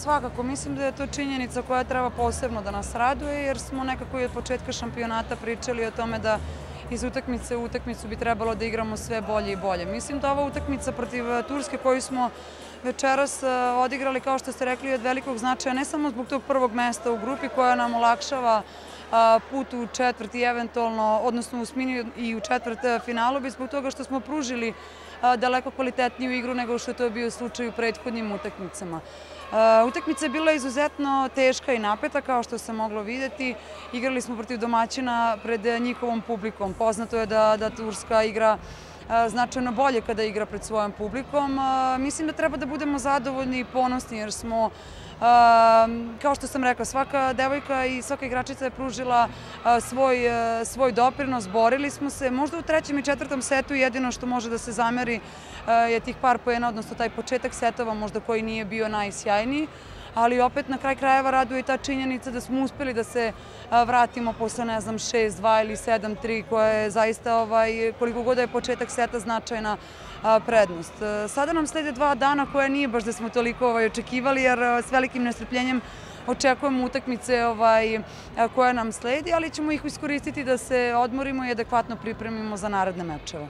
Svakako, mislim da je to činjenica koja treba posebno da nas raduje, jer smo nekako i od početka šampionata pričali o tome da iz utakmice u utakmicu bi trebalo da igramo sve bolje i bolje. Mislim da ova utakmica protiv Turske koju smo večeras odigrali, kao što ste rekli, od velikog značaja, ne samo zbog tog prvog mesta u grupi koja nam olakšava put u četvrti eventualno, odnosno u osmini i u četvrt finalu, bi zbog toga što smo pružili daleko kvalitetniju igru nego što je to bio slučaj u prethodnim utakmicama. Utakmica je bila izuzetno teška i napeta, kao što se moglo videti. Igrali smo protiv domaćina pred njihovom publikom. Poznato je da Turska igra značajno bolje kada igra pred svojom publikom. Mislim da treba da budemo zadovoljni i ponosni jer smo, kao što sam rekla, svaka devojka i svaka igračica je pružila svoj doprinos, borili smo se. Možda u trećem i četvrtom setu jedino što može da se zameri je tih par poena, odnosno taj početak setova možda koji nije bio najsjajniji, ali opet na kraj krajeva raduje i ta činjenica da smo uspeli da se vratimo posle, ne znam, 6-2 ili 7-3, koja je zaista, koliko god je početak seta, značajna prednost. Sada nam slede 2 dana koja nije baš da smo toliko očekivali, jer s velikim nestrpljenjem očekujemo utakmice koja nam sledi, ali ćemo ih iskoristiti da se odmorimo i adekvatno pripremimo za naredne mečeve.